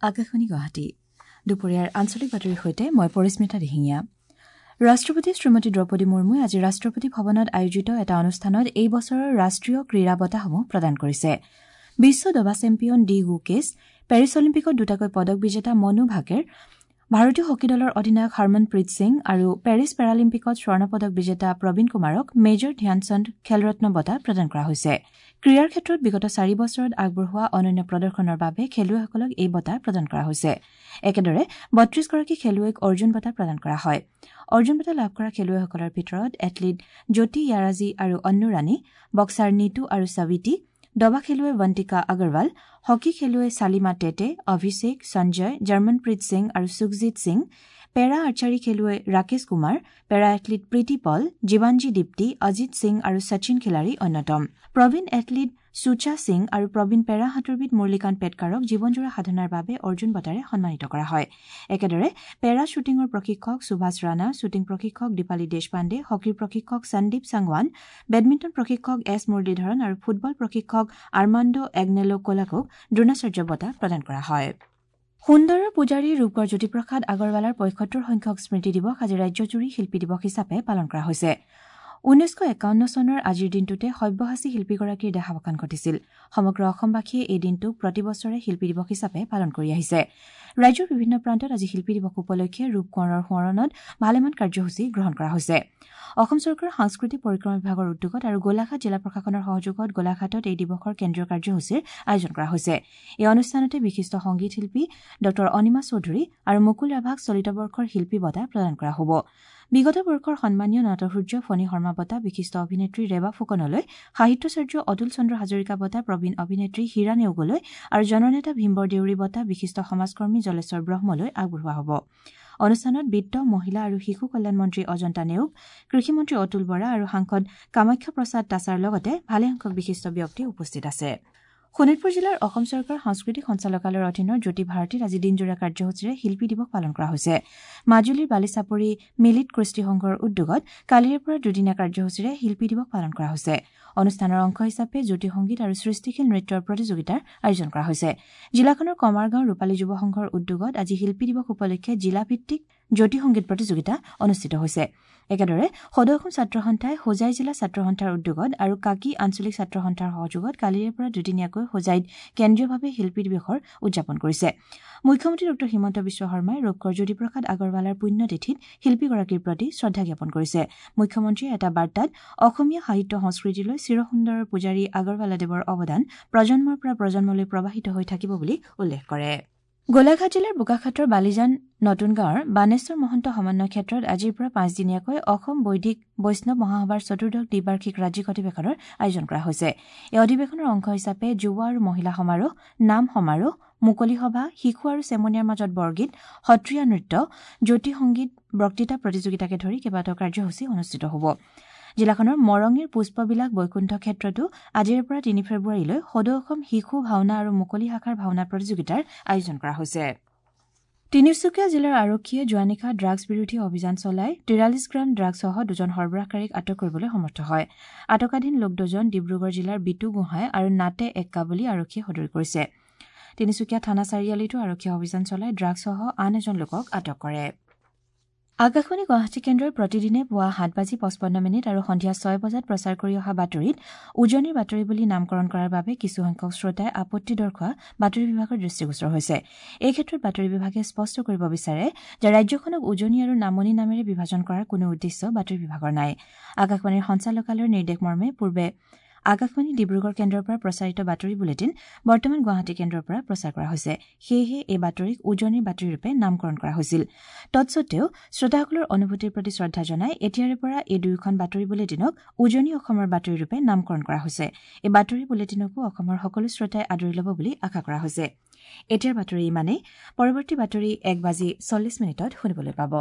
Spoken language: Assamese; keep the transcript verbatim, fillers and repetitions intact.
আকাশবাণী গুৱাহাটী। দুপৰীয়াৰ আঞ্চলিক বাতৰিৰ সৈতে মই পৰিস্মিতা দিহিঙীয়া। ৰাষ্ট্ৰপতি শ্ৰীমতী দ্ৰৌপদী মুৰ্মুৱে আজি ৰাষ্ট্ৰপতি ভৱনত আয়োজিত এটা অনুষ্ঠানত এই বছৰৰ ৰাষ্ট্ৰীয় ক্ৰীড়া বঁটাসমূহ প্ৰদান কৰিছে। বিশ্ব দবা চেম্পিয়ন ডি গুকেশ, পেৰিছ অলিম্পিকত দুটাকৈ পদক বিজেতা মনু ভাকেৰ, ভাৰতীয় হকী দলৰ অধিনায়ক হৰমনপ্ৰীত সিং আৰু পেৰিছ পেৰালিম্পিকত স্বৰ্ণ পদক বিজেতা প্ৰবীণ কুমাৰক মেজৰ ধ্যানচান্দ খেলৰত্ন বঁটা প্ৰদান কৰা হৈছে। ক্ৰীড়াৰ ক্ষেত্ৰত বিগত চাৰি বছৰত আগবঢ়োৱা অনন্য প্ৰদৰ্শনৰ বাবে খেলুৱৈসকলক এই বঁটা প্ৰদান কৰা হৈছে। একেদৰে বত্ৰিশগৰাকী খেলুৱৈক অৰ্জুন বঁটা প্ৰদান কৰা হয়। অৰ্জুন বঁটা লাভ কৰা খেলুৱৈসকলৰ ভিতৰত এথলীট জ্যোতি য়াৰাজী আৰু অন্নু ৰাণী, বক্সাৰ নিতু আৰু সাৱিতী, দবা খেলুৱৈ বন্তিকা আগৰৱাল, হকী খেলুৱৈ ছালিমা টেটে, অভিষেক, সঞ্জয়, জাৰ্মনপ্ৰীত সিং আৰু সুখজিৎ সিং, পেৰা আৰ্চাৰী খেলুৱৈ ৰাকেশ কুমাৰ, পেৰা এথলীট প্ৰীতি পল, জীৱাঞ্জী দীপ্তি, অজিত সিং আৰু শচীন খিলাৰী অন্যতম। প্ৰবীণ এথলীট সুচা সিং আৰু প্ৰবীণ পেৰা সাঁতোৰবিদ মুৰলীকান্ত পেটকাৰক জীৱনজোৰা সাধনাৰ বাবে অৰ্জুন বঁটাৰে সন্মানিত কৰা হয়। একেদৰে পেৰা শ্বুটিঙৰ প্ৰশিক্ষক সুভাষ ৰাণা, শ্বুটিং প্ৰশিক্ষক দীপালী দেশপাণ্ডে, হকীৰ প্ৰশিক্ষক সন্দীপ সাংৱান, বেডমিণ্টন প্ৰশিক্ষক এছ মুৰলীধৰণ আৰু ফুটবল প্ৰশিক্ষক আৰ্মাণ্ডো এগনেলো কোলাকক দ্ৰোণাচাৰ্য বঁটা প্ৰদান কৰা হয়। সুন্দৰৰ পূজাৰী ৰূপকোঁৱৰ জ্যোতিপ্ৰসাদ আগৰৱালাৰ পঁয়সত্তৰ সংখ্যক স্মৃতি দিৱস আজি ৰাজ্যজুৰি শিল্পী দিৱস হিচাপে পালন কৰা হৈছে। ঊনৈছশ একাৱন্ন চনৰ আজিৰ দিনটোতে সব্যসাচী শিল্পীগৰাকীৰ দেহাৱসান ঘটিছিল। সমগ্ৰ অসমবাসীয়ে এই দিনটোক প্ৰতি বছৰে শিল্পী দিৱস হিচাপে পালন কৰি আহিছে। ৰাজ্যৰ বিভিন্ন প্ৰান্তত আজি শিল্পী দিৱস উপলক্ষে ৰূপকোঁৱৰৰ সোঁৱৰণত ভালেমান কাৰ্যসূচী গ্ৰহণ কৰা হৈছে। অসম চৰকাৰৰ সাংস্কৃতিক পৰিক্ৰমা বিভাগৰ উদ্যোগত আৰু গোলাঘাট জিলা প্ৰশাসনৰ সহযোগত গোলাঘাটত এই দিৱসৰ কেন্দ্ৰীয় কাৰ্যসূচীৰ আয়োজন কৰা হৈছে। এই অনুষ্ঠানতে বিশিষ্ট সংগীত শিল্পী ডঃ অনিমা চৌধুৰী আৰু মুকুল ৰাভাক চলিত বৰ্ষৰ শিল্পী বঁটা প্ৰদান কৰা হ'ব। বিগত বৰ্ষৰ সন্মানীয় নটসূৰ্য ফণী শৰ্মা বঁটা বিশিষ্ট অভিনেত্ৰী ৰেবা ফুকনলৈ, সাহিত্যাচাৰ্য অতুল চন্দ্ৰ হাজৰিকা বঁটা প্ৰবীণ অভিনেত্ৰী হীৰা নেওগলৈ আৰু জননেতা ভীমবৰ দেউৰী বঁটা বিশিষ্ট সমাজকৰ্মী জলেশ্বৰ ব্ৰহ্মলৈ আগবঢ়োৱা হ'ব। অনুষ্ঠানত বিত্ত, মহিলা আৰু শিশু কল্যাণ মন্ত্ৰী অজন্তা নেওগ, কৃষিমন্ত্ৰী অতুল বৰা আৰু সাংসদ কামাখ্যা প্ৰসাদ তাছাৰ লগতে ভালেসংখ্যক বিশিষ্ট ব্যক্তি উপস্থিত আছে। শোণিতপুৰ জিলাৰ অসম চৰকাৰৰ সাংস্কৃতিক সঞ্চালকালয়ৰ অধীনৰ জ্যোতি ভাৰতীত আজি দিনজোৰা কাৰ্যসূচীৰে শিল্পী দিৱস পালন কৰা হৈছে। মাজুলীৰ বালিচাপৰি মিলিত কৃষ্টি সংঘৰ উদ্যোগত কালিৰে পৰা দুদিনীয়া কাৰ্যসূচীৰে শিল্পী দিৱস পালন কৰা হৈছে। অনুষ্ঠানৰ অংশ হিচাপে জ্যোতি সংগীত আৰু সৃষ্টিশীল নৃত্যৰ প্ৰতিযোগিতাৰ আয়োজন কৰা হৈছে। জিলাখনৰ কমাৰগাঁও ৰূপালী যুৱ সংঘৰ উদ্যোগত আজি শিল্পী দিৱস উপলক্ষে জিলাভিত্তিক জ্যোতি সংগীত প্ৰতিযোগিতা অনুষ্ঠিত হৈছে। একেদৰে সদৌ অসম ছাত্ৰ সন্থাই হোজাই জিলা ছাত্ৰ সন্থাৰ উদ্যোগত আৰু কাকি আঞ্চলিক ছাত্ৰ সন্থাৰ সহযোগত কালিৰে পৰা দুদিনীয়াকৈ হোজাইত কেন্দ্ৰীয়ভাৱে শিল্পী দিৱসৰ উদযাপন কৰিছে। মুখ্যমন্ত্ৰী ডঃ হিমন্ত বিশ্ব শৰ্মাই ৰূপকোঁৱৰ জ্যোতিপ্ৰসাদ আগৰৱালাৰ পুণ্যতিথিত শিল্পীগৰাকীৰ প্ৰতি শ্ৰদ্ধা জ্ঞাপন কৰিছে। মুখ্যমন্ত্ৰীয়ে এটা বাৰ্তাত অসমীয়া সাহিত্য সংস্কৃতিলৈ চিৰসুন্দৰৰ পূজাৰী আগৰৱালাদেৱৰ অৱদান প্ৰজন্মৰ পৰা প্ৰজন্মলৈ প্ৰবাহিত হৈ থাকিব বুলি উল্লেখ কৰে। গোলাঘাট জিলাৰ বোকাখাটৰ বালিজান নতুন গাঁৱৰ বানেশ্বৰ মহন্ত সমন্বয় ক্ষেত্ৰত আজিৰ পৰা পাঁচদিনীয়াকৈ অসম বৈদিক বৈষ্ণৱ মহাসভাৰ চতুৰ্দশ দ্বিবাৰ্ষিক ৰাজ্যিক অধিৱেশনৰ আয়োজন কৰা হৈছে। এই অধিৱেশনৰ অংশ হিচাপে যুৱ আৰু মহিলা সমাৰোহ, নাম সমাৰোহ, মুকলি সভা, শিশু আৰু চেমনীয়াৰ মাজত বৰগীত, সত্ৰীয়া নৃত্য, জ্যোতি সংগীত, বক্তৃতা প্ৰতিযোগিতাকে ধৰি কেইবাটাও কাৰ্যসূচী অনুষ্ঠিত হ'ব। জিলাখনৰ মৰঙীৰ পুষ্পবিলাক বৈকুণ্ঠ ক্ষেত্ৰতো আজিৰে পৰা তিনি ফেব্ৰুৱাৰীলৈ সদৌ অসম শিশু ভাওনা আৰু মুকলি শাখাৰ ভাওনা প্ৰতিযোগিতাৰ আয়োজন কৰা হৈছে। তিনিচুকীয়া জিলাৰ আৰক্ষীয়ে যোৱা নিশা ড্ৰাগছ বিৰোধী অভিযান চলাই তিৰাল্লিছ গ্ৰাম ড্ৰাগছসহ দুজন সৰবৰাহকাৰীক আটক কৰিবলৈ সমৰ্থ হয়। আটকাধীন লোক দুজন ডিব্ৰুগড় জিলাৰ বিতু গোহাঁই আৰু নাটে এক্কা বুলি আৰক্ষীয়ে সদৰি কৰিছে। তিনিচুকীয়া থানা চাৰিআলিতো আৰক্ষীয়ে অভিযান চলাই ড্ৰাগছসহ আন এজন লোকক আটক কৰে। আকাশবাণী গুৱাহাটী কেন্দ্ৰই প্ৰতিদিনে পুৱা সাত বাজি পঁচপন্ন মিনিট আৰু সন্ধিয়া ছয় বজাত প্ৰচাৰ কৰি অহা বাতৰিত উজনিৰ বাতৰি বুলি নামকৰণ কৰাৰ বাবে কিছুসংখ্যক শ্ৰোতাই আপত্তি দৰ্শোৱা বাতৰি বিভাগৰ দৃষ্টিগোচৰ হৈছে। এই ক্ষেত্ৰত বাতৰি বিভাগে স্পষ্ট কৰিব বিচাৰে যে ৰাজ্যখনক উজনি আৰু নামনি নামেৰে বিভাজন কৰাৰ কোনো উদ্দেশ্য বাতৰি বিভাগৰ নাই। আকাশবাণীৰ সঞ্চালকালয়ৰ নিৰ্দেশ মৰ্মে পূৰ্বে আকাশবাণী ডিব্ৰুগড় কেন্দ্ৰৰ পৰা প্ৰচাৰিত বাতৰি বুলেটিন বৰ্তমান গুৱাহাটী কেন্দ্ৰৰ পৰা প্ৰচাৰ কৰা হৈছে। সেয়েহে এই বাতৰিক উজনিৰ বাতৰিৰূপে নামকৰণ কৰা হৈছিল। তৎসত্বেও শ্ৰোতাসকলৰ অনুভূতিৰ প্ৰতি শ্ৰদ্ধা জনাই এতিয়াৰে পৰা এই দুয়োখন বাতৰি বুলেটিনক উজনি অসমৰ বাতৰিৰূপে নামকৰণ কৰা হৈছে। এই বাতৰি বুলেটিনকো অসমৰ সকলো শ্ৰোতাই আদৰি ল'ব বুলি আশা কৰা হৈছে। এতিয়াৰ বাতৰি ইমানেই। পৰৱৰ্তী বাতৰি এক বাজি চল্লিছ মিনিটত শুনিবলৈ পাব।